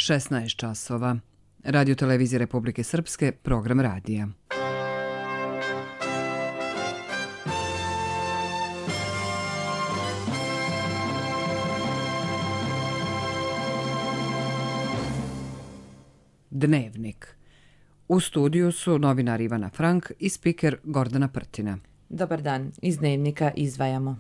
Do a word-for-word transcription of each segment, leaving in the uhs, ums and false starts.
šesnaest časova. Radio televizije Republike Srpske, program radija. Dnevnik. U studiju su novinar Ivana Frank i spiker Gordana Prtina. Dobar dan, iz Dnevnika izdvajamo.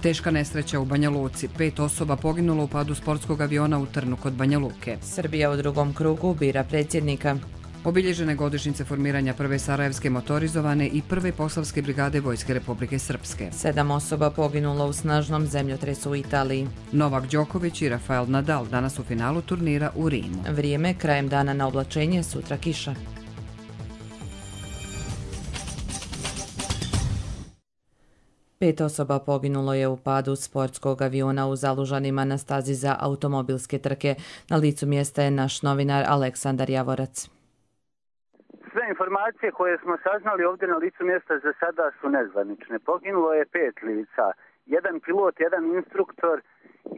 Teška nesreća u Banja Luci. Pet osoba poginulo u padu sportskog aviona u Trnu kod Banja Luke. Srbija u drugom krugu bira predsjednika. Obilježene godišnjice formiranja prve sarajevske motorizovane i prve poslavske brigade Vojske Republike Srpske. Sedam osoba poginulo u snažnom zemljotresu u Italiji. Novak Đoković i Rafael Nadal danas u finalu turnira u Rimu. Vrijeme krajem dana na oblačenje, sutra kiša. Pet osoba poginulo je u padu sportskog aviona u Zalužanima na stazi za automobilske trke. Na licu mjesta je naš novinar Aleksandar Javorac. Sve informacije koje smo saznali ovdje na licu mjesta za sada su nezvanične. Poginulo je pet lica. Jedan pilot, jedan instruktor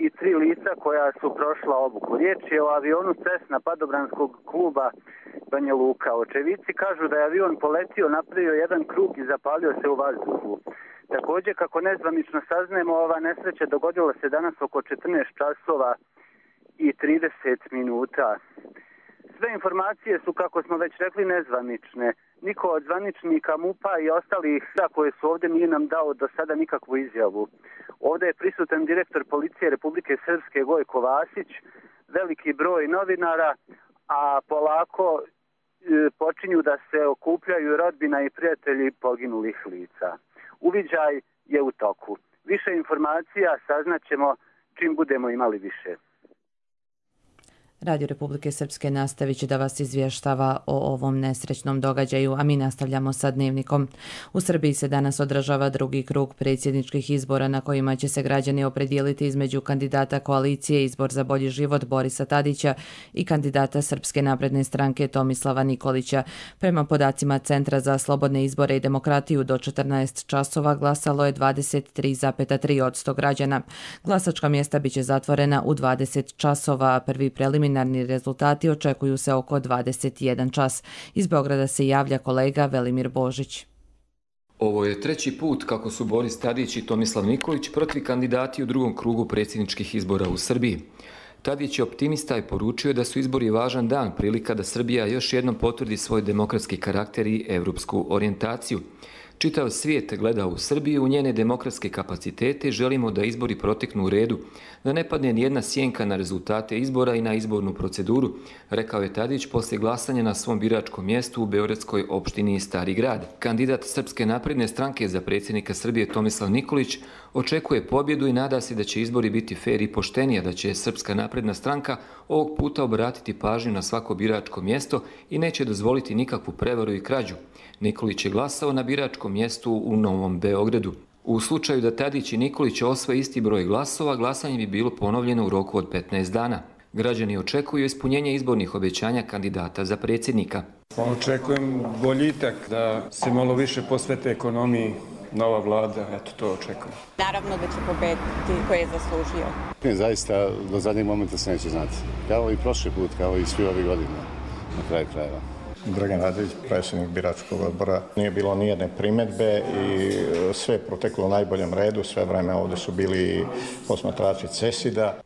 i tri lica koja su prošla obuku. Riječ je o avionu Cessna padobranskog kluba Banja Luka. Očevici kažu da je avion poletio, napravio jedan krug i zapalio se u vazduhu. Također, kako nezvanično saznajemo, ova nesreća dogodila se danas oko četrnaest časova i trideset minuta. Sve informacije su, kako smo već rekli, nezvanične. Niko od zvaničnika MUP-a i ostalih koje su ovdje nije nam dao do sada nikakvu izjavu. Ovdje je prisutan direktor policije Republike Srpske Gojko Vasić, veliki broj novinara, a polako e, počinju da se okupljaju rodbina i prijatelji poginulih lica. Uviđaj je u toku. Više informacija saznaćemo čim budemo imali više. Radio Republike Srpske nastavit će da vas izvještava o ovom nesrećnom događaju, a mi nastavljamo sa Dnevnikom. U Srbiji se danas održava drugi krug predsjedničkih izbora na kojima će se građani opredijeliti između kandidata koalicije Izbor za bolji život Borisa Tadića i kandidata Srpske napredne stranke Tomislava Nikolića. Prema podacima Centra za slobodne izbore i demokratiju do četrnaest časova glasalo je dvadeset tri zarez tri posto građana. Glasačka mjesta biće zatvorena u dvadeset časova, a prvi preliminarni Preliminarni rezultati očekuju se oko dvadeset jedan čas. Iz Beograda se javlja kolega Velimir Božić. Ovo je treći put kako su Boris Tadić i Tomislav Nikolić prvi kandidati u drugom krugu predsjedničkih izbora u Srbiji. Tadić je optimista i poručio da su izbori važan dan, prilika da Srbija još jednom potvrdi svoj demokratski karakter i evropsku orijentaciju. Čitav svijet gleda u Srbiju, u njene demokratske kapacitete i želimo da izbori proteknu u redu, da ne padne nijedna sjenka na rezultate izbora i na izbornu proceduru, rekao je Tadić poslije glasanja na svom biračkom mjestu u beogradskoj opštini Stari grad. Kandidat Srpske napredne stranke za predsjednika Srbije Tomislav Nikolić očekuje pobjedu i nada se da će izbori biti fer i poštenija, da će Srpska napredna stranka ovog puta obratiti pažnju na svako biračko mjesto i neće dozvoliti nikakvu prevaru i krađu. Nikolić je glasao na biračkom mjestu u Novom Beogradu. U slučaju da Tadić i Nikolić osvoje isti broj glasova, glasanje bi bilo ponovljeno u roku od petnaest dana. Građani očekuju ispunjenje izbornih obećanja kandidata za predsjednika. Očekujem boljitak, da se malo više posvete ekonomiji, nova vlada, eto to očekujem. Naravno da će pobediti koji je zaslužio. Zaista do zadnjeg momenta se neće znati. Kao i prošli put, kao i svi ove godine, na kraju krajeva. Dragan Radović, predsjednik biračkog odbora. Nije bilo nijedne primjedbe i sve je proteklo u najboljem redu. Sve vreme ovdje su bili posmatrači CESID-a.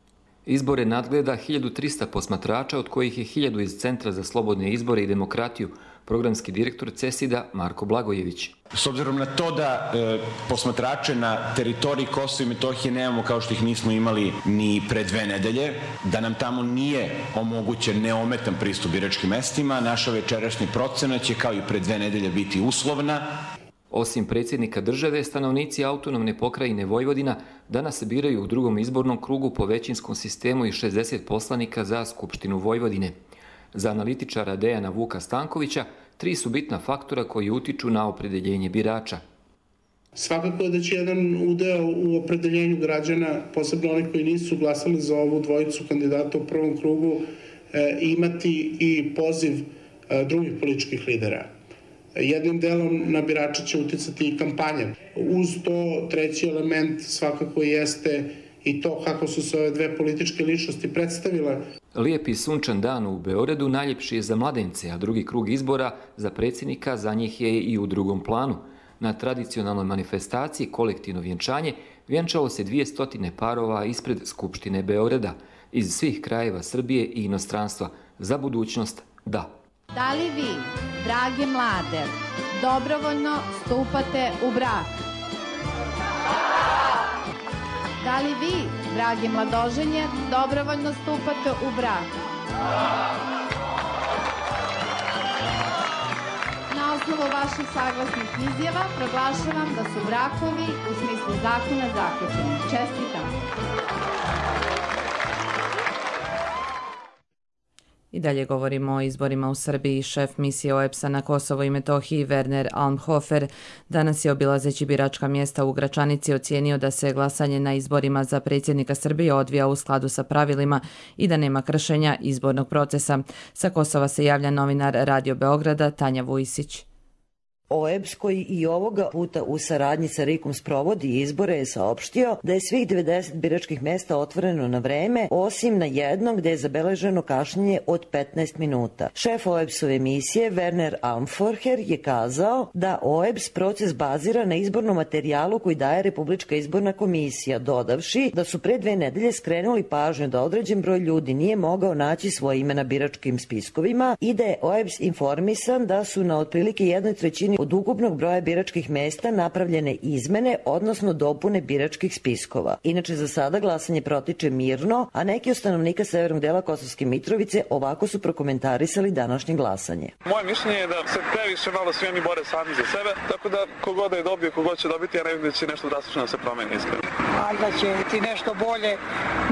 Izbore nadgleda hiljadu trista posmatrača, od kojih je hiljadu iz Centra za slobodne izbore i demokratiju, programski direktor CESID-a Marko Blagojević. S obzirom na to da e, posmatrače na teritoriji Kosova i Metohije nemamo kao što ih nismo imali ni pre dve nedelje, da nam tamo nije omogućen neometan pristup biračkim mestima, naša večerašnja procena će kao i pre dve nedelje biti uslovna. Osim predsjednika države, stanovnici autonomne pokrajine Vojvodina danas se biraju u drugom izbornom krugu po većinskom sistemu i šezdeset poslanika za Skupštinu Vojvodine. Za analitičara Dejana Vuka Stankovića, tri su bitna faktora koji utiču na opredeljenje birača. Svakako da će jedan udeo u opredeljenju građana, posebno oni koji nisu glasali za ovu dvojicu kandidata u prvom krugu, imati i poziv drugih političkih lidera. Jednim delom na birače će uticati i kampanja. Uz to treći element svakako jeste i to kako su se ove dve političke ličnosti predstavile. Lijepi sunčan dan u Beogradu najljepši je za mladence, a drugi krug izbora za predsjednika za njih je i u drugom planu. Na tradicionalnoj manifestaciji kolektivno vjenčanje vjenčalo se dvije stotine parova ispred Skupštine Beograda iz svih krajeva Srbije i inostranstva. Za budućnost da. Da li vi, drage mlade, dobrovoljno stupate u brak? Da li vi, drage mladoženje, dobrovoljno stupate u brak? Na osnovu vaših saglasnih izjava proglašavam da su brakovi u smislu zakona zaključeni. Čestitam! I dalje govorimo o izborima u Srbiji. Šef misije O E B S-a na Kosovo i Metohiji Werner Almhofer danas je obilazeći biračka mjesta u Gračanici ocijenio da se glasanje na izborima za predsjednika Srbije odvija u skladu sa pravilima i da nema kršenja izbornog procesa. Sa Kosova se javlja novinar Radio Beograda Tanja Vujsić. O E B S koji i ovoga puta u saradnji sa RIK-om sprovodi izbore je saopštio da je svih devedeset biračkih mjesta otvoreno na vreme, osim na jednom gdje je zabeleženo kašnjenje od petnaest minuta. Šef O E B S-ove misije Werner Almhofer je kazao da O E B S proces bazira na izbornom materijalu koji daje Republička izborna komisija, dodavši da su pre dve nedelje skrenuli pažnju da određen broj ljudi nije mogao naći svoje ime na biračkim spiskovima i da je O E B S informisan da su na otprilike jednoj trećini od ukupnog broja biračkih mjesta napravljene izmene, odnosno dopune biračkih spiskova. Inače, za sada glasanje protiče mirno, a neki od stanovnika severnog dela Kosovske Mitrovice ovako su prokomentarisali današnje glasanje. Moje mišljenje je da se previše malo svi oni bore sami za sebe, tako da kogod da je dobio, kogod će dobiti, ja ne vidim da će nešto drastično da se promeni iskreno. Ali da će ti nešto bolje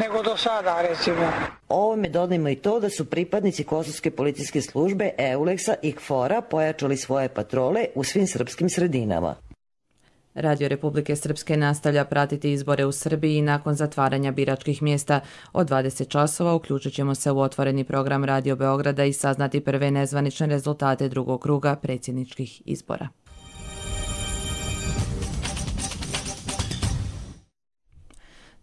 nego do sada, recimo. Ovome dodajmo i to da su pripadnici Kosovske policijske službe Euleksa i K F O R-a pojačali svoje patrole u svim srpskim sredinama. Radio Republike Srpske nastavlja pratiti izbore u Srbiji i nakon zatvaranja biračkih mjesta od dvadeset časova uključit ćemo se u otvoreni program Radio Beograda i saznati prve nezvanične rezultate drugog kruga predsjedničkih izbora.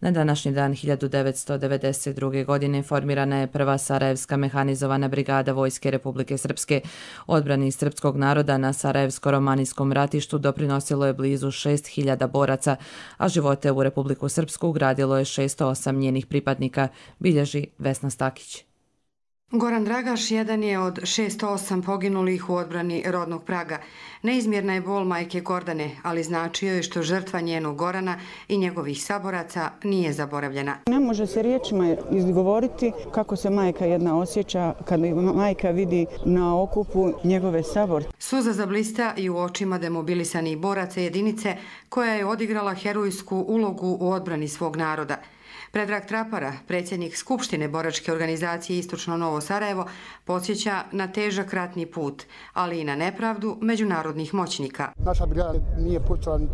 Na današnji dan hiljadu devetsto devedeset druge. godine formirana je prva Sarajevska mehanizovana brigada Vojske Republike Srpske. Odbrani srpskog naroda na Sarajevsko-romanijskom ratištu doprinosilo je blizu šest hiljada boraca, a živote u Republiku Srpsku ugradilo je šesto osam njenih pripadnika, bilježi Vesna Stakić. Goran Dragaš jedan je od šesto osam poginulih u odbrani rodnog Praga. Neizmjerna je bol majke Gordane, ali značio je što žrtva njenog Gorana i njegovih saboraca nije zaboravljena. Ne može se riječima izgovoriti kako se majka jedna osjeća kada majka vidi na okupu njegove saborce. Suza zablista i u očima demobilisanih boraca jedinice koja je odigrala herojsku ulogu u odbrani svog naroda. Predrag Trapara, predsjednik Skupštine boračke organizacije Istočno Novo Sarajevo, podsjeća na težak ratni put, ali i na nepravdu međunarodnih moćnika. Naša brigada nije pucala ni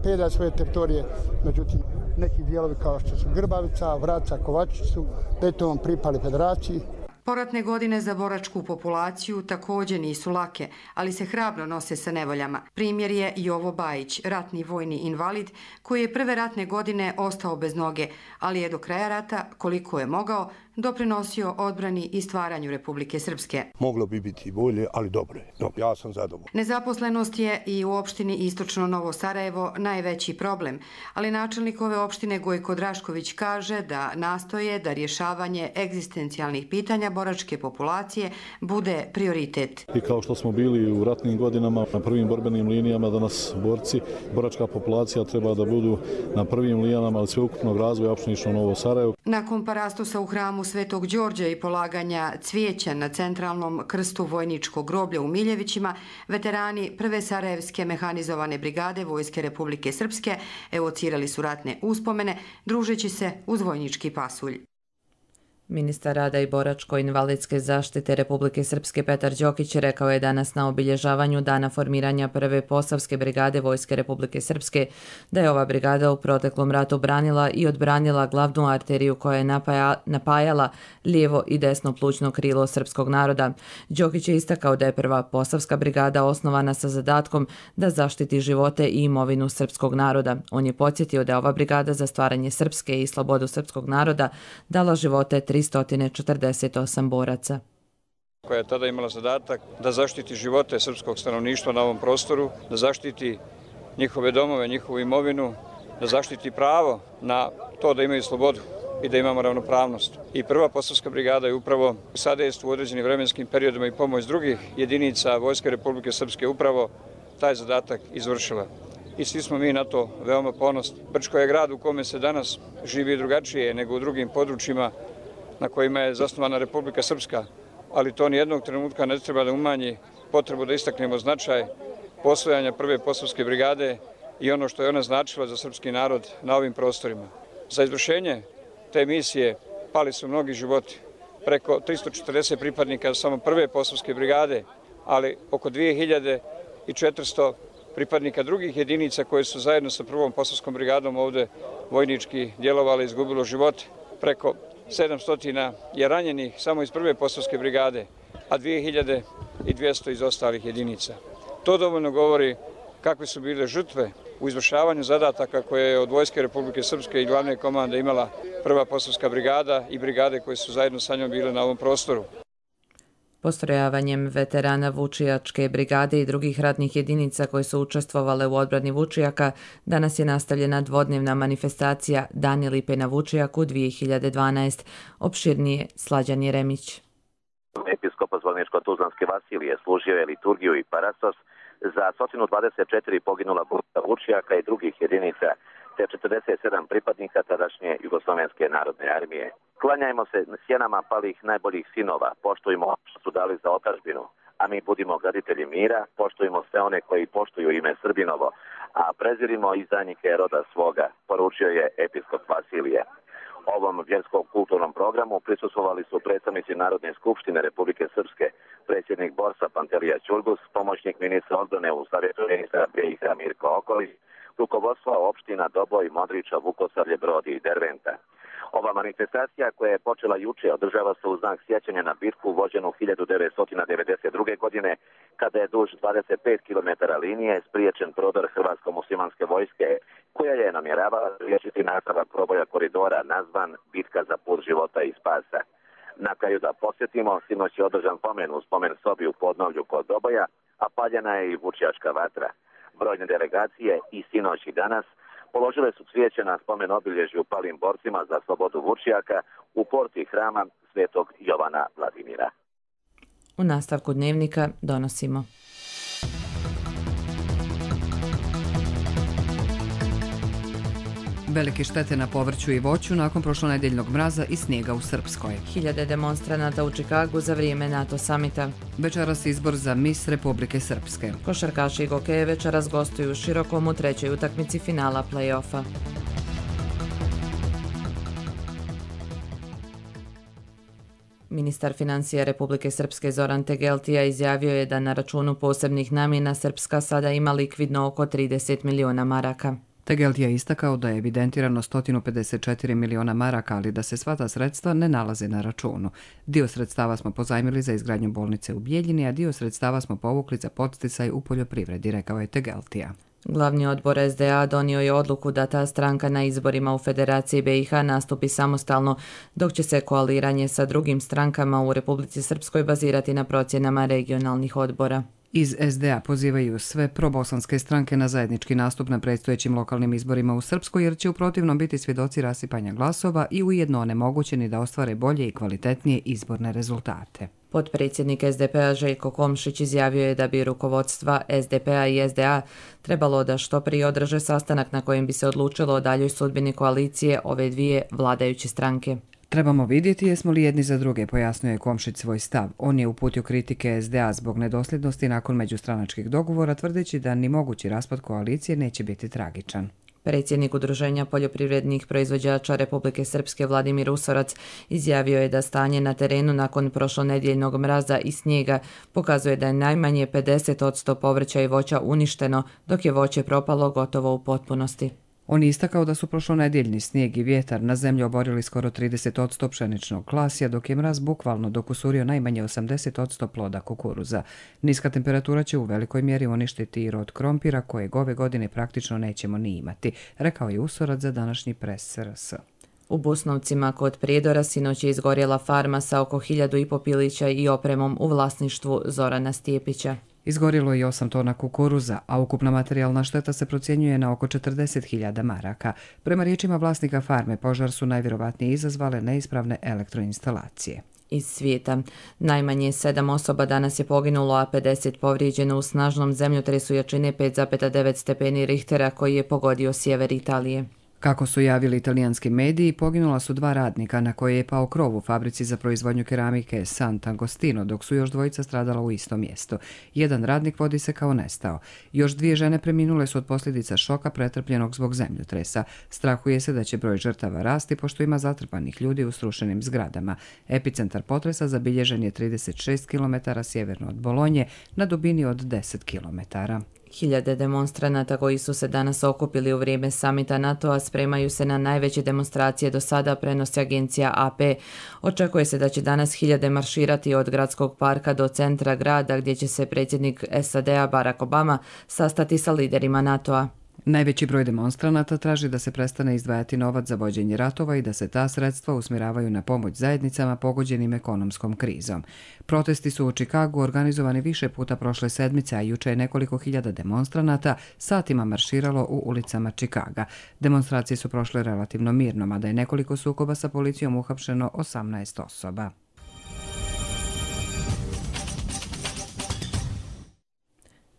pedalj svoje teritorije, međutim neki dijelovi kao što su Grbavica, Vraca, Kovačić su detovom pripali federaciji. Poratne godine za boračku populaciju također nisu lake, ali se hrabro nose sa nevoljama. Primjer je Jovo Bajić, ratni vojni invalid, koji je prve ratne godine ostao bez noge, ali je do kraja rata, koliko je mogao, doprinosio odbrani i stvaranju Republike Srpske. Moglo bi biti bolje, ali dobro je. Dobro, ja sam zadovoljan. Nezaposlenost je i u opštini Istočno Novo Sarajevo najveći problem, ali načelnik ove opštine Gojko Drašković kaže da nastoje da rješavanje egzistencijalnih pitanja boračke populacije bude prioritet. I kao što smo bili u ratnim godinama na prvim borbenim linijama, danas borci, boračka populacija treba da budu na prvim linijama, ali sveukupnog razvoja opštine Istočno Novo Sarajevo. Nakon parastosa u hramu Svetog Đorđa i polaganja cvijeća na centralnom krstu vojničkog groblja u Miljevićima, veterani prve Sarajevske mehanizovane brigade Vojske Republike Srpske evocirali su ratne uspomene, družeći se uz vojnički pasulj. Ministar rada i boračko-invalidske zaštite Republike Srpske Petar Đokić rekao je danas na obilježavanju dana formiranja prve Posavske brigade Vojske Republike Srpske da je ova brigada u proteklom ratu branila i odbranila glavnu arteriju koja je napaja, napajala lijevo i desno plućno krilo srpskog naroda. Đokić je istakao da je prva Posavska brigada osnovana sa zadatkom da zaštiti živote i imovinu srpskog naroda. On je podsjetio da je ova brigada za stvaranje Srpske i slobodu srpskog naroda dala živote tristo četrdeset osam boraca. Koja je tada imala zadatak da zaštiti živote srpskog stanovništva na ovom prostoru, da zaštiti njihove domove, njihovu imovinu, da zaštiti pravo na to da imaju slobodu i da imamo ravnopravnost. I prva Posavska brigada je upravo u sadejstvu u određenim vremenskim periodima i pomoć drugih jedinica Vojske Republike Srpske upravo taj zadatak izvršila. I svi smo mi na to veoma ponosni. Brčko je grad u kome se danas živi drugačije nego u drugim područjima na kojima je zasnovana Republika Srpska, ali to nijednog trenutka ne treba da umanji potrebu da istaknemo značaj postojanja prve Posavske brigade i ono što je ona značila za srpski narod na ovim prostorima. Za izvršenje te misije pali su mnogi životi, preko tristo četrdeset pripadnika samo prve Posavske brigade, ali oko dvije hiljade četiristo pripadnika drugih jedinica koje su zajedno sa prvom Posavskom brigadom ovde vojnički djelovali, izgubilo živote. Preko sedamsto je ranjenih samo iz prve Posavske brigade, a dvije hiljade dvjesto iz ostalih jedinica. To dovoljno govori kakve su bile žrtve u izvršavanju zadataka koje je od Vojske Republike Srpske i glavne komande imala prva Posavska brigada i brigade koje su zajedno sa njom bile na ovom prostoru. Postrojavanjem veterana Vučijačke brigade i drugih ratnih jedinica koje su učestvovale u odbrani Vučijaka, danas je nastavljena dvodnevna manifestacija Dani lipe na Vučijaku dvije hiljade dvanaest. Opširnije Slađan Jeremić. Episkop Zvorničko-Tuzlanske Vasilije služio je liturgiju i parasos za sto dvadeset četiri poginula borca Vučijaka i drugih jedinica, te četrdeset sedam pripadnika tadašnje Jugoslovenske narodne armije. Klanjajmo se sjenama palih najboljih sinova, poštujmo što su dali za otadžbinu, a mi budimo graditelji mira, poštujmo sve one koji poštuju ime Srbinovo, a prezirimo izdajnike roda svoga, poručio je episkop Vasilije. Ovom vjerskom kulturnom programu prisustvovali su predstavnici Narodne skupštine Republike Srpske, predsjednik Borsa Pantelija Ćurgus, pomoćnik ministra odbrane u savjetu ministra B i H Mirko Okolić, rukovodstva opština Doboj, Modriča, Vukosavlje, Brodi i Derventa. Ova manifestacija koja je počela juče održava se u znak sjećanja na bitku vođenu hiljadu devetsto devedeset druge. godine, kada je duž dvadeset pet kilometara linije spriječen prodor Hrvatsko-muslimanske vojske, koja je namjeravala spriječiti nastavak proboja koridora nazvan Bitka za put života i spasa. Na kraju da posjetimo, sinoć je održan pomen u spomen sobi u podnovlju kod Doboja, a paljena je i Vučijačka vatra. Brojne delegacije i sinoć i danas položile su cvijeće na spomen obilježju palim borcima za slobodu Vučijaka u porti hrama Svetog Jovana Vladimira. U nastavku dnevnika donosimo. Velike štete na povrću i voću nakon prošlonedeljnog mraza i snijega u Srpskoj. Hiljade demonstranata u Čikagu za vrijeme NATO samita. Večeras izbor za Mis Republike Srpske. Košarkaši i gokeje večeras gostuju u Širokom u trećoj utakmici finala play-offa. Ministar financija Republike Srpske Zoran Tegeltija izjavio je da na računu posebnih namjena Srpska sada ima likvidno oko trideset miliona maraka. Tegeltija je istakao da je evidentirano sto pedeset četiri miliona maraka, ali da se sva ta sredstva ne nalaze na računu. Dio sredstava smo pozajmili za izgradnju bolnice u Bijeljini, a dio sredstava smo povukli za podsticaj u poljoprivredi, rekao je Tegeltija. Glavni odbor S D A donio je odluku da ta stranka na izborima u Federaciji B i H nastupi samostalno, dok će se koaliranje sa drugim strankama u Republici Srpskoj bazirati na procjenama regionalnih odbora. Iz S D A pozivaju sve probosanske stranke na zajednički nastup na predstojećim lokalnim izborima u Srpskoj, jer će u protivnom biti svjedoci rasipanja glasova i ujedno onemogućeni da ostvare bolje i kvalitetnije izborne rezultate. Potpredsjednik S D P-a Željko Komšić izjavio je da bi rukovodstva S D P-a i S D A trebalo da što prije održe sastanak na kojem bi se odlučilo o daljoj sudbini koalicije ove dvije vladajuće stranke. Trebamo vidjeti jesmo li jedni za druge, pojasnio je Komšić svoj stav. On je uputio kritike S D A zbog nedosljednosti nakon međustranačkih dogovora, tvrdeći da ni mogući raspad koalicije neće biti tragičan. Predsjednik Udruženja poljoprivrednih proizvođača Republike Srpske Vladimir Usorac izjavio je da stanje na terenu nakon prošlonedjeljnog mraza i snijega pokazuje da je najmanje pedeset posto povrća i voća uništeno, dok je voće propalo gotovo u potpunosti. On je istakao da su prošlonedjeljni snijeg i vjetar na zemlju oborili skoro trideset posto pšeničnog klasija, dok je mraz bukvalno dokusurio najmanje osamdeset posto ploda kukuruza. Niska temperatura će u velikoj mjeri uništiti i rod krompira, kojeg ove godine praktično nećemo ni imati, rekao je Usorac za današnji pres S R S. U Busnovcima kod Prijedora sinoć je izgorjela farma sa oko hiljadu i po pilića i opremom u vlasništvu Zorana Stijepića. Izgorilo je osam tona kukuruza, a ukupna materijalna šteta se procjenjuje na oko četrdeset hiljada maraka. Prema riječima vlasnika farme, požar su najvjerovatnije izazvale neispravne elektroinstalacije. Iz svijeta. Najmanje sedam osoba danas je poginulo, a pedeset povrijeđeno u snažnom zemljotresu jačine pet zarez devet stepeni Richtera koji je pogodio sjever Italije. Kako su javili italijanski mediji, poginula su dva radnika na koje je pao krov u fabrici za proizvodnju keramike Sant'Agostino, dok su još dvojica stradala u istom mjestu. Jedan radnik vodi se kao nestao. Još dvije žene preminule su od posljedica šoka pretrpljenog zbog zemljotresa. Strahuje se da će broj žrtava rasti pošto ima zatrpanih ljudi u srušenim zgradama. Epicentar potresa zabilježen je trideset šest kilometara sjeverno od Bolonje na dubini od deset kilometara. Hiljade demonstranata koji su se danas okupili u vrijeme samita NATO-a spremaju se na najveće demonstracije do sada, prenosi agencija A P. Očekuje se da će danas hiljade marširati od gradskog parka do centra grada, gdje će se predsjednik S A D-a Barack Obama sastati sa liderima NATO-a. Najveći broj demonstranata traži da se prestane izdvajati novac za vođenje ratova i da se ta sredstva usmjeravaju na pomoć zajednicama pogođenim ekonomskom krizom. Protesti su u Čikagu organizovani više puta prošle sedmice, a juče je nekoliko hiljada demonstranata satima marširalo u ulicama Čikaga. Demonstracije su prošle relativno mirno, mada je nekoliko sukoba sa policijom uhapšeno osamnaest osoba.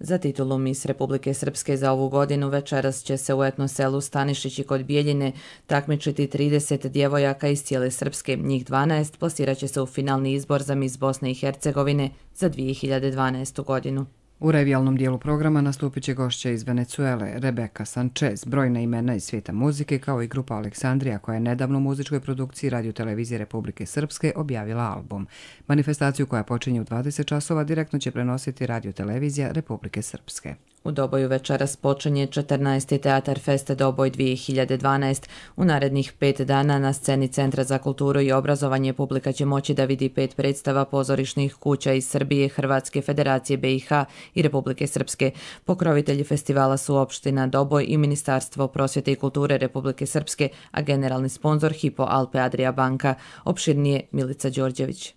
Za titulu Mis Republike Srpske za ovu godinu večeras će se u etno selu Stanišići kod Bijeljine takmičiti trideset djevojaka iz cijele Srpske. Njih dvanaest plasirat će se u finalni izbor za Mis Bosne i Hercegovine za dvije hiljade dvanaestu godinu. U revijalnom dijelu programa nastupit će gošća iz Venecuele, Rebeka Sanchez, brojna imena iz svijeta muzike, kao i grupa Aleksandrija, koja je nedavno u muzičkoj produkciji Radio Televizije Republike Srpske objavila album. Manifestaciju koja počinje u dvadeset časova direktno će prenositi Radio Televizija Republike Srpske. U Doboju večeras počinje četrnaesti Teatar Fest Doboj dvije hiljade dvanaest. U narednih pet dana na sceni Centra za kulturu i obrazovanje publika će moći da vidi pet predstava pozorišnih kuća iz Srbije, Hrvatske, Federacije B i H i Republike Srpske. Pokrovitelji festivala su opština Doboj i Ministarstvo prosvjete i kulture Republike Srpske, a generalni sponzor Hypo Alpe Adria banka. Opširnije Milica Đorđević.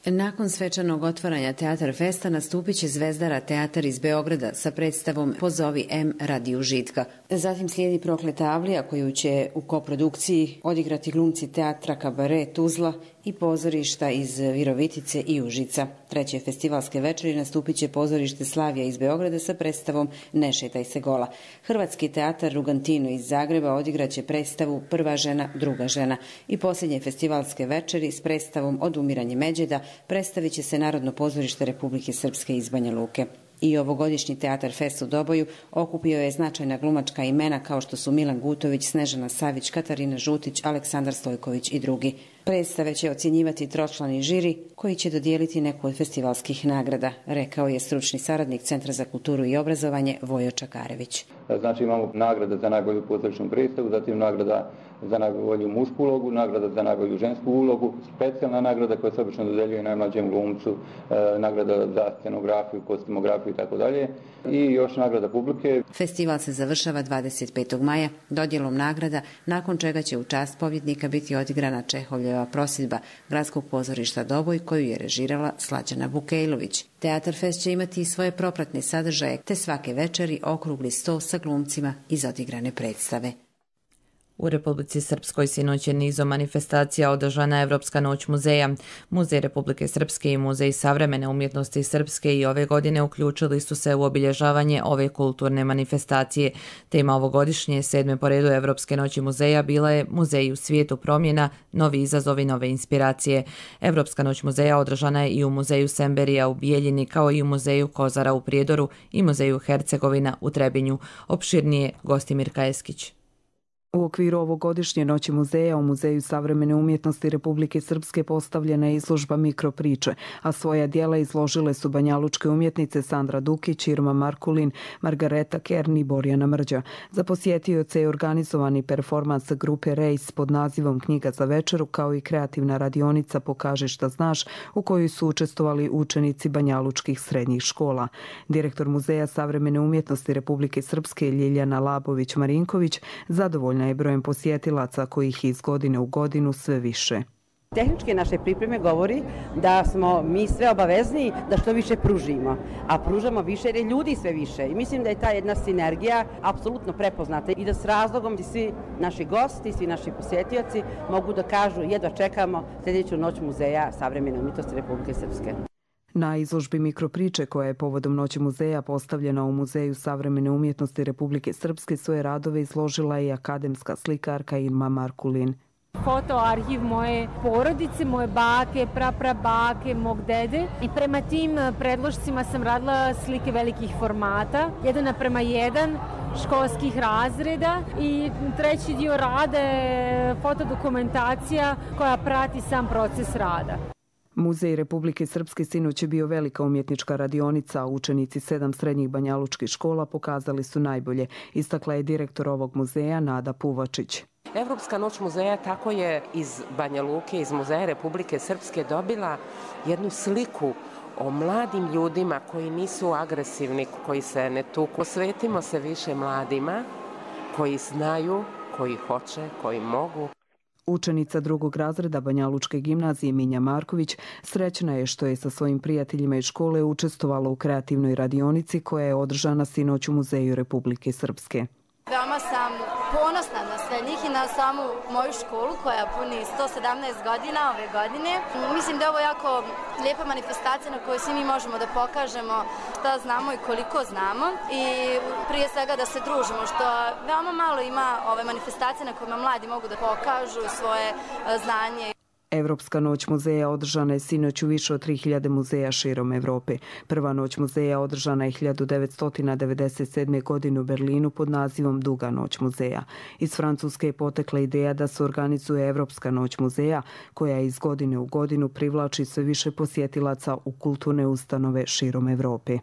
Nakon svečanog otvaranja Teatar Festa nastupit će Zvezdara teatar iz Beograda sa predstavom Pozovi M radi užitka. Zatim slijedi Prokleta Avlija koju će u koprodukciji odigrati glumci teatra Kabare Tuzla i pozorišta iz Virovitice i Užica. Treće festivalske večeri nastupit će pozorište Slavija iz Beograda sa predstavom Ne šetaj se gola. Hrvatski teatar Rugantino iz Zagreba odigraće predstavu Prva žena, druga žena. I posljednje festivalske večeri s predstavom Odumiranje Međeda predstavit će se Narodno pozorište Republike Srpske iz Banja Luke. I ovogodišnji Teatar Fest u Doboju okupio je značajna glumačka imena kao što su Milan Gutović, Snežana Savić, Katarina Žutić, Aleksandar Stojković i drugi. Predstave će ocjenjivati tročlani žiri koji će dodijeliti neku od festivalskih nagrada, rekao je stručni saradnik Centra za kulturu i obrazovanje Vojo Čakarević. Znači imamo nagrada za najbolju pozorišnu predstavu, zatim nagrada za najbolju mušku ulogu, nagrada za najbolju žensku ulogu, specijalna nagrada koja se obično dodeljuje najmlađem glumcu, e, nagrada za scenografiju, kostimografiju i tako dalje, i još nagrada publike. Festival se završava dvadeset petog maja dodjelom nagrada, nakon čega će u čast pobjednika biti odigrana Čehovljeva prosidba Gradskog pozorišta Doboj koju je režirala Slađana Bukejlović. Teatar Fest će imati i svoje propratne sadržaje, te svake večeri okrugli sto sa glumcima iz odigrane predstave. U Republici Srpskoj sinoć je nizom manifestacija održana Evropska noć muzeja. Muzej Republike Srpske i Muzej savremene umjetnosti Srpske i ove godine uključili su se u obilježavanje ove kulturne manifestacije. Tema ovogodišnje sedme po redu Evropske noći muzeja bila je Muzej u svijetu promjena, novi izazovi, nove inspiracije. Evropska noć muzeja održana je i u Muzeju Semberija u Bijeljini, kao i u Muzeju Kozara u Prijedoru i Muzeju Hercegovina u Trebinju. Opširnije Gostimirka Eskić. U okviru ovogodišnje noći muzeja u Muzeju savremene umjetnosti Republike Srpske postavljena je izložba mikropriče, a svoja dijela izložile su banjalučke umjetnice Sandra Dukić, Irma Markulin, Margareta Kern i Borjana Mrđa. Za posjetioce je organizovani performans grupe Rejs pod nazivom Knjiga za večeru, kao i kreativna radionica Pokaži šta znaš, u kojoj su učestvovali učenici banjalučkih srednjih škola. Direktor Muzeja savremene umjetnosti Republike Srpske Ljiljana Labović-Marinković zadovoljna je brojem posjetilaca kojih iz godine u godinu sve više. Tehničke naše pripreme govori da smo mi sve obavezni da što više pružimo, a pružamo više jer je ljudi sve više. I mislim da je ta jedna sinergija apsolutno prepoznata i da s razlogom svi naši gosti, svi naši posjetioci mogu da kažu jedva čekamo sljedeću noć Muzeja savremene umjetnosti Republike Srpske. Na izložbi mikropriče koja je povodom noći muzeja postavljena u Muzeju savremene umjetnosti Republike Srpske svoje radove izložila i akademska slikarka Irma Markulin. Fotoarhiv moje porodice, moje bake, praprabake, mog dede i prema tim predložcima sam radila slike velikih formata, jedan naprema jedan školskih razreda i treći dio rada je fotodokumentacija koja prati sam proces rada. Muzej Republike Srpske sinoć je bio velika umjetnička radionica, a učenici sedam srednjih banjalučkih škola pokazali su najbolje, istakla je direktor ovog muzeja Nada Puvačić. Evropska noć muzeja tako je iz Banja Luke, iz Muzeja Republike Srpske dobila jednu sliku o mladim ljudima koji nisu agresivni, koji se ne tuku. Posvetimo se više mladima koji znaju, koji hoće, koji mogu. Učenica drugog razreda Banjalučke gimnazije Minja Marković srećna je što je sa svojim prijateljima iz škole učestvovala u kreativnoj radionici koja je održana sinoć u Muzeju Republike Srpske. Veoma sam ponosna na sve njih i na samu moju školu koja puni sto sedamnaest godina ove godine. Mislim da je ovo jako lijepa manifestacija na kojoj svi mi možemo da pokažemo šta znamo i koliko znamo i prije svega da se družimo, što veoma malo ima ove manifestacije na kojima mladi mogu da pokažu svoje znanje. Evropska noć muzeja održana je sinoć u više od tri hiljade muzeja širom Evrope. Prva noć muzeja održana je hiljadu devetsto devedeset sedme. godine u Berlinu pod nazivom Duga noć muzeja. Iz Francuske je potekla ideja da se organizuje Evropska noć muzeja, koja iz godine u godinu privlači sve više posjetilaca u kulturne ustanove širom Evrope.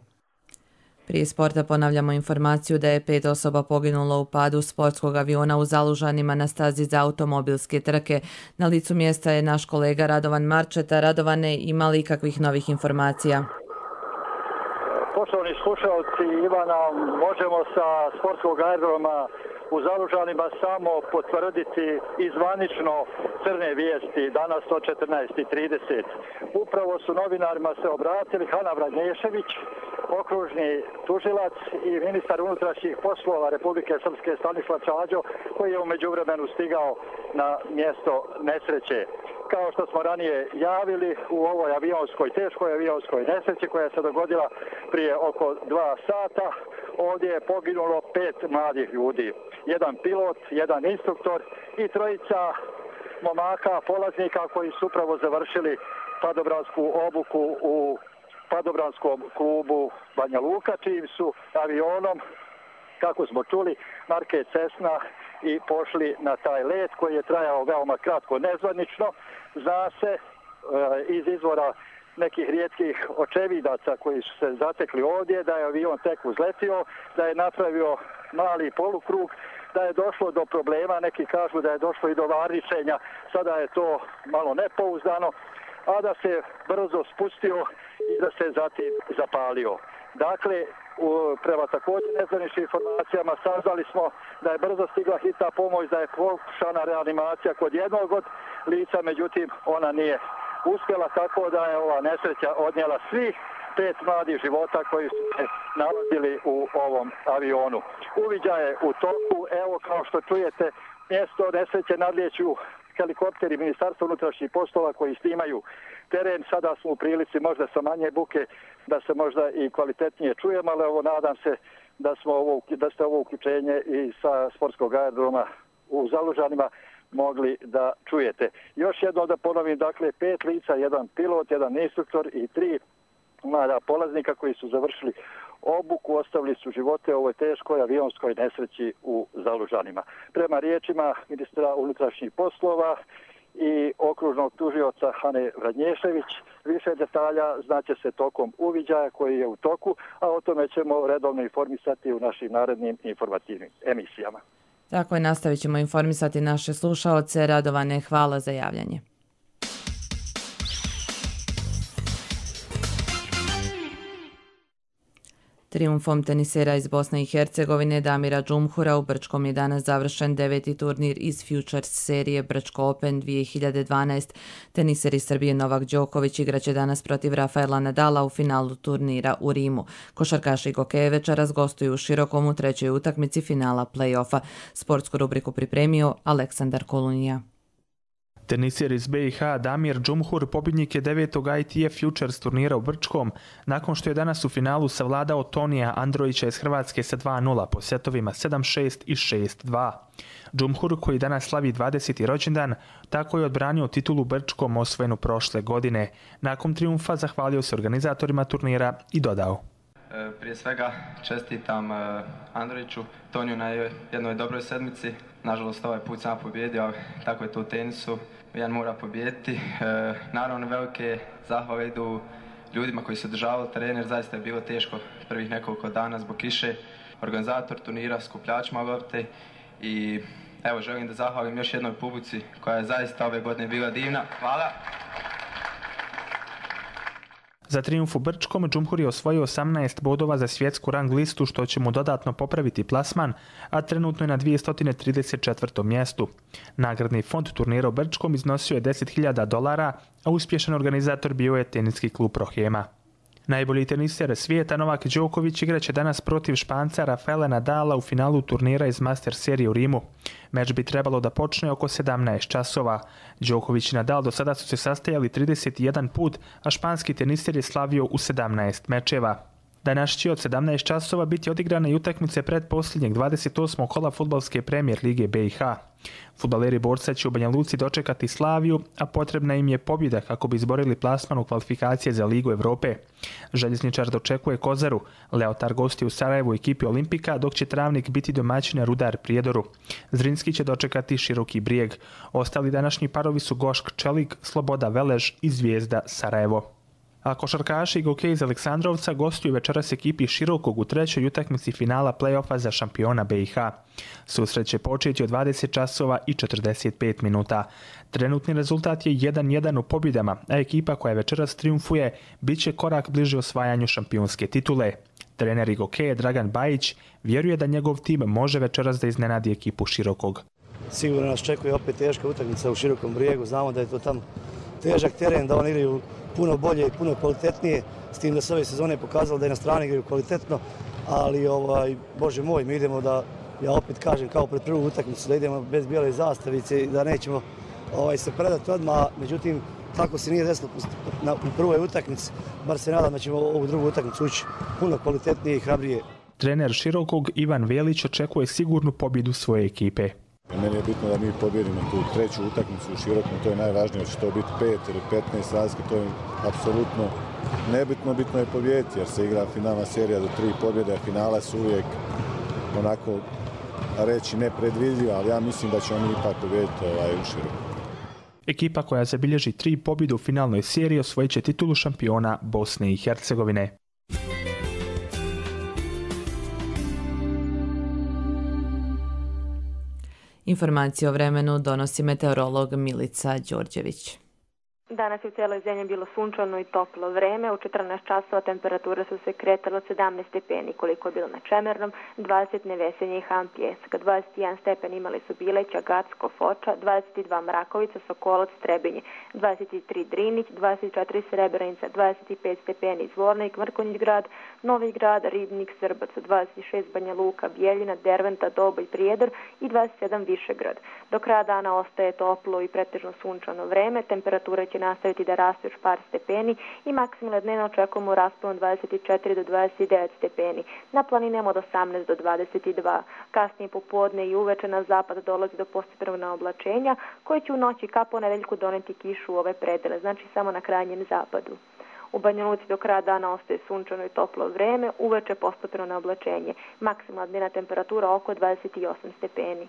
Prije sporta ponavljamo informaciju da je pet osoba poginulo u padu sportskog aviona u Zalužanima na stazi za automobilske trke. Na licu mjesta je naš kolega Radovan Marčeta. Radovane, ima li kakvih novih informacija? Poštovani slušalci, Ivana, možemo sa sportskog aerodroma u Zalužanima samo potvrditi izvanično crne vijesti danas od četrnaest i trideset. Upravo su novinarima se obratili Hana Vranješević, okružni tužilac i ministar unutrašnjih poslova Republike Srpske Stanislav Čađo, koji je u međuvremenu stigao na mjesto nesreće. Kao što smo ranije javili, u ovoj avionskoj, teškoj avionskoj nesreći koja se dogodila prije oko dva sata, ovdje je poginulo pet mladih ljudi. Jedan pilot, jedan instruktor i trojica momaka, polaznika koji su upravo završili padobransku obuku u padobranskom klubu Banja Luka, čijim su avionom, kako smo čuli, marke Cessna i pošli na taj let koji je trajao veoma kratko, nezvanično. Zna se e, iz izvora nekih rijetkih očevidaca koji su se zatekli ovdje da je avion tek uzletio, da je napravio mali polukrug, da je došlo do problema, neki kažu da je došlo i do varničenja, sada je to malo nepouzdano, a da se brzo spustio i da se zatim zapalio. Dakle, u, prema također nezvaničnim informacijama saznali smo da je brzo stigla hitna pomoć, da je pokušana reanimacija kod jednog od lica, međutim ona nije uspjela, tako da je ova nesreća odnijela svih pet mladih života koji su se nalazili u ovom avionu. Uviđaj je u toku, evo kao što čujete, mjesto nesreće nadlijeću helikopteri Ministarstva unutrašnjih poslova koji snimaju teren. Sada smo u prilici možda sa manje buke da se možda i kvalitetnije čujemo, ali ovo nadam se da, smo ovo, da ste ovo uključenje i sa sportskog aerodroma u Zalužanima mogli da čujete. Još jedno da ponovim, dakle, pet lica, jedan pilot, jedan instruktor i tri mlada polaznika koji su završili obuku, ostavili su živote u ovoj teškoj avionskoj nesreći u Zalužanima. Prema riječima ministra unutrašnjih poslova i okružnog tužioca Hane Vranješević, više detalja znaće se tokom uviđaja koji je u toku, a o tome ćemo redovno informisati u našim narednim informativnim emisijama. Tako je, nastavit ćemo informisati naše slušaoce. Radovane, hvala za javljanje. Trijumfom tenisera iz Bosne i Hercegovine Damira Džumhura u Brčkom je danas završen deveti turnir iz Futures serije Brčko Open dvije hiljade dvanaest. Teniser iz Srbije Novak Đoković igraće danas protiv Rafaela Nadala u finalu turnira u Rimu. Košarkaši Gokeje večeras gostuju u Širokom u trećoj utakmici finala play-offa. Sportsku rubriku pripremio Aleksandar Kolunija. Teniser iz B i H Damir Džumhur pobjednik je devetog I T F Futures turnira u Brčkom, nakon što je danas u finalu savladao Tonija Androjića iz Hrvatske sa dva nula po setovima sedam šest i šest dva. Džumhur, koji danas slavi dvadeseti rođendan, tako je odbranio titulu Brčkom osvojenu prošle godine. Nakon trijumfa zahvalio se organizatorima turnira i dodao: Prije svega čestitam Androjiću, Toniju na jednoj dobroj sedmici. Nažalost, ovaj put sam pobjedio, tako je to u tenisu. Jedan mora pobijediti. E, naravno, velike zahvale idu ljudima koji su održavali teren, jer zaista je bilo teško prvih nekoliko dana zbog kiše. Organizator turnira, skupljačima lopte i evo, želim da zahvalim još jednoj publici koja je zaista ove godine bila divna. Hvala! Za trijumf u Brčkom Džumhur je osvojio osamnaest bodova za svjetsku rang listu, što će mu dodatno popraviti plasman, a trenutno je na dvjesto trideset četvrtom mjestu. Nagradni fond turnira u Brčkom iznosio je deset hiljada dolara, a uspješan organizator bio je teniski klub Prohema. Najbolji teniser svijeta Novak Đoković igraće danas protiv Španca Rafaela Nadala u finalu turnira iz Master serije u Rimu. Meč bi trebalo da počne oko sedamnaest časova. Đoković i Nadal do sada su se sastajali trideset jedan put, a španski teniser je slavio u sedamnaest mečeva. Danas će od sedamnaest časova biti odigrane i utakmice pretposljednjeg dvadeset osmog kola fudbalske premijer lige B i H. Fudbaleri Borca će u Banja Luci dočekati Slaviju, a potrebna im je pobjeda kako bi izborili plasman u kvalifikacije za Ligu Evrope. Željezničar dočekuje Kozaru, Leotar gosti u Sarajevu ekipi Olimpika, dok će Travnik biti domaćin Rudar Prijedoru. Zrinski će dočekati Široki Brijeg. Ostali današnji parovi su Gošk Čelik, Sloboda Velež i Zvijezda Sarajevo. A košarkaši Gokej iz Aleksandrovca gostuju večeras ekipi Širokog u trećoj utakmici finala play-offa za šampiona B i H. Susret će početi od dvadeset časova i četrdeset pet minuta. Trenutni rezultat je jedan jedan u pobjedama, a ekipa koja večeras triumfuje bit će korak bliže osvajanju šampionske titule. Trener Gokeje Dragan Bajić vjeruje da njegov tim može večeras da iznenadi ekipu Širokog. Sigurno nas čekuje opet teška utakmica u Širokom Brijegu. Znamo da je to tamo težak teren, da oni igraju puno bolje i puno kvalitetnije, s tim da se ove sezone pokazalo da je na strani igraju kvalitetno, ali ovaj, Bože moj, mi idemo da, ja opet kažem kao pred prvu utakmicu, da idemo bez bijele zastavice i da nećemo ovaj, se predati odmah, međutim tako se nije desilo na, u prvoj utakmici, bar se nadam da ćemo ovu drugu utakmicu ući puno kvalitetnije i hrabrije. Trener Širokog Ivan Velić očekuje sigurnu pobjedu svoje ekipe. Meni je bitno da mi pobjedimo tu treću utakmicu u Širokom, to je najvažnije, će to biti pet ili petnaest razlike, to je apsolutno nebitno, bitno je pobjediti jer se igra finalna serija do tri pobjede, a finale su uvijek onako reći nepredvidljiva, ali ja mislim da ćemo mi ipak pobjediti ovaj, u Širokom. Ekipa koja zabilježi tri pobjede u finalnoj seriji osvojit će titulu šampiona Bosne i Hercegovine. Informacije o vremenu donosi meteorolog Milica Đorđević. Danas je u cijeloj zemlji bilo sunčano i toplo vreme. U četrnaest časova temperature su se kretale od sedamnaest stepeni koliko je bilo na Čemernom, dvadeset Nevesenje i Han Pjeska, dvadeset jedan stepen imali su Bileća, Gacko, Foča, dvadeset dva Mrakovica, Sokolac, Trebinje, dvadeset tri Drinić, dvadeset četiri Srebrenica, dvadeset pet stepeni Zvornik, Mrkonjić grad, Novi grad, Ribnik, Srbac, dvadeset šest Banja Luka, Bijeljina, Derventa, Doboj, Prijedor i dvadeset sedam Višegrad. Do kraja dana ostaje toplo i pretežno sunčano vreme, temperatura će nastaviti da raste još par stepeni i maksimalno dnevno očekujemo raspon dvadeset četiri do dvadeset devet stepeni. Na planinama od osamnaest do dvadeset dva. Kasnije popodne i uveče na zapad dolazi do postepenog naoblačenja koje će u noći ka ponedeljku doneti kišu u ove predele, znači samo na krajnjem zapadu. U Banja Luci do kraja dana ostaje sunčano i toplo vreme, uveče postepeno naoblačenje. Maksimalna dnevna temperatura oko dvadeset osam stepeni.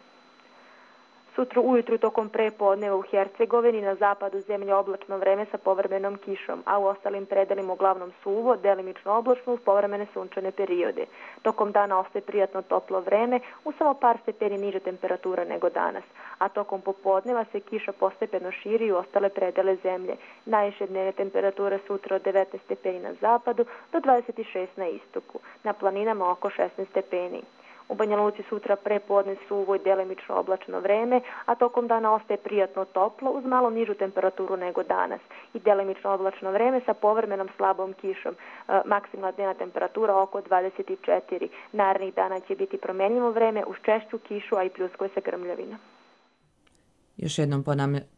Sutra ujutru tokom prepodneva u Hercegovini na zapadu zemlje oblačno vreme sa povremenom kišom, a u ostalim predelima uglavnom suvo, delimično oblačno uz povremene sunčane periode. Tokom dana ostaje prijatno toplo vreme, u samo par stepeni niže temperatura nego danas, a tokom popodneva se kiša postepeno širi u ostale predele zemlje. Najviše dnevne temperature sutra od devetnaest stepeni na zapadu do dvadeset šest na istoku, na planinama oko šesnaest stepeni. U Banja Luci sutra prepodne suvo i delimično oblačno vreme, a tokom dana ostaje prijatno toplo uz malo nižu temperaturu nego danas i delimično oblačno vreme sa povremenom slabom kišom. E, maksimalna dnevna temperatura oko dvadeset četiri. Narednih dana će biti promenljivo vreme uz češću kišu, a i pljuskuje se grmljavina. Još jednom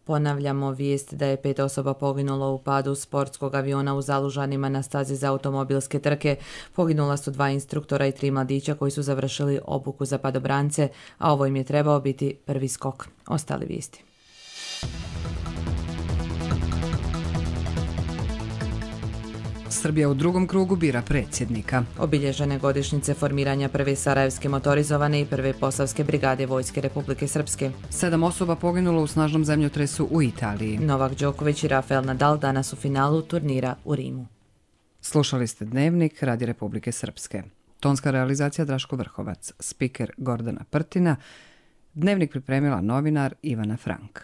ponavljamo vijest da je pet osoba poginulo u padu sportskog aviona u Zalužanima na stazi za automobilske trke. Poginula su dva instruktora i tri mladića koji su završili obuku za padobrance, a ovo im je trebao biti prvi skok. Ostale vijesti. Srbija u drugom krugu bira predsjednika. Obilježene godišnjice formiranja prve sarajevske motorizovane i prve posavske brigade Vojske Republike Srpske. Sedam osoba poginulo u snažnom zemljotresu u Italiji. Novak Đoković i Rafael Nadal danas u finalu turnira u Rimu. Slušali ste Dnevnik Radi Republike Srpske. Tonska realizacija Draško Vrhovac, spiker Gordana Prtina, Dnevnik pripremila novinar Ivana Frank.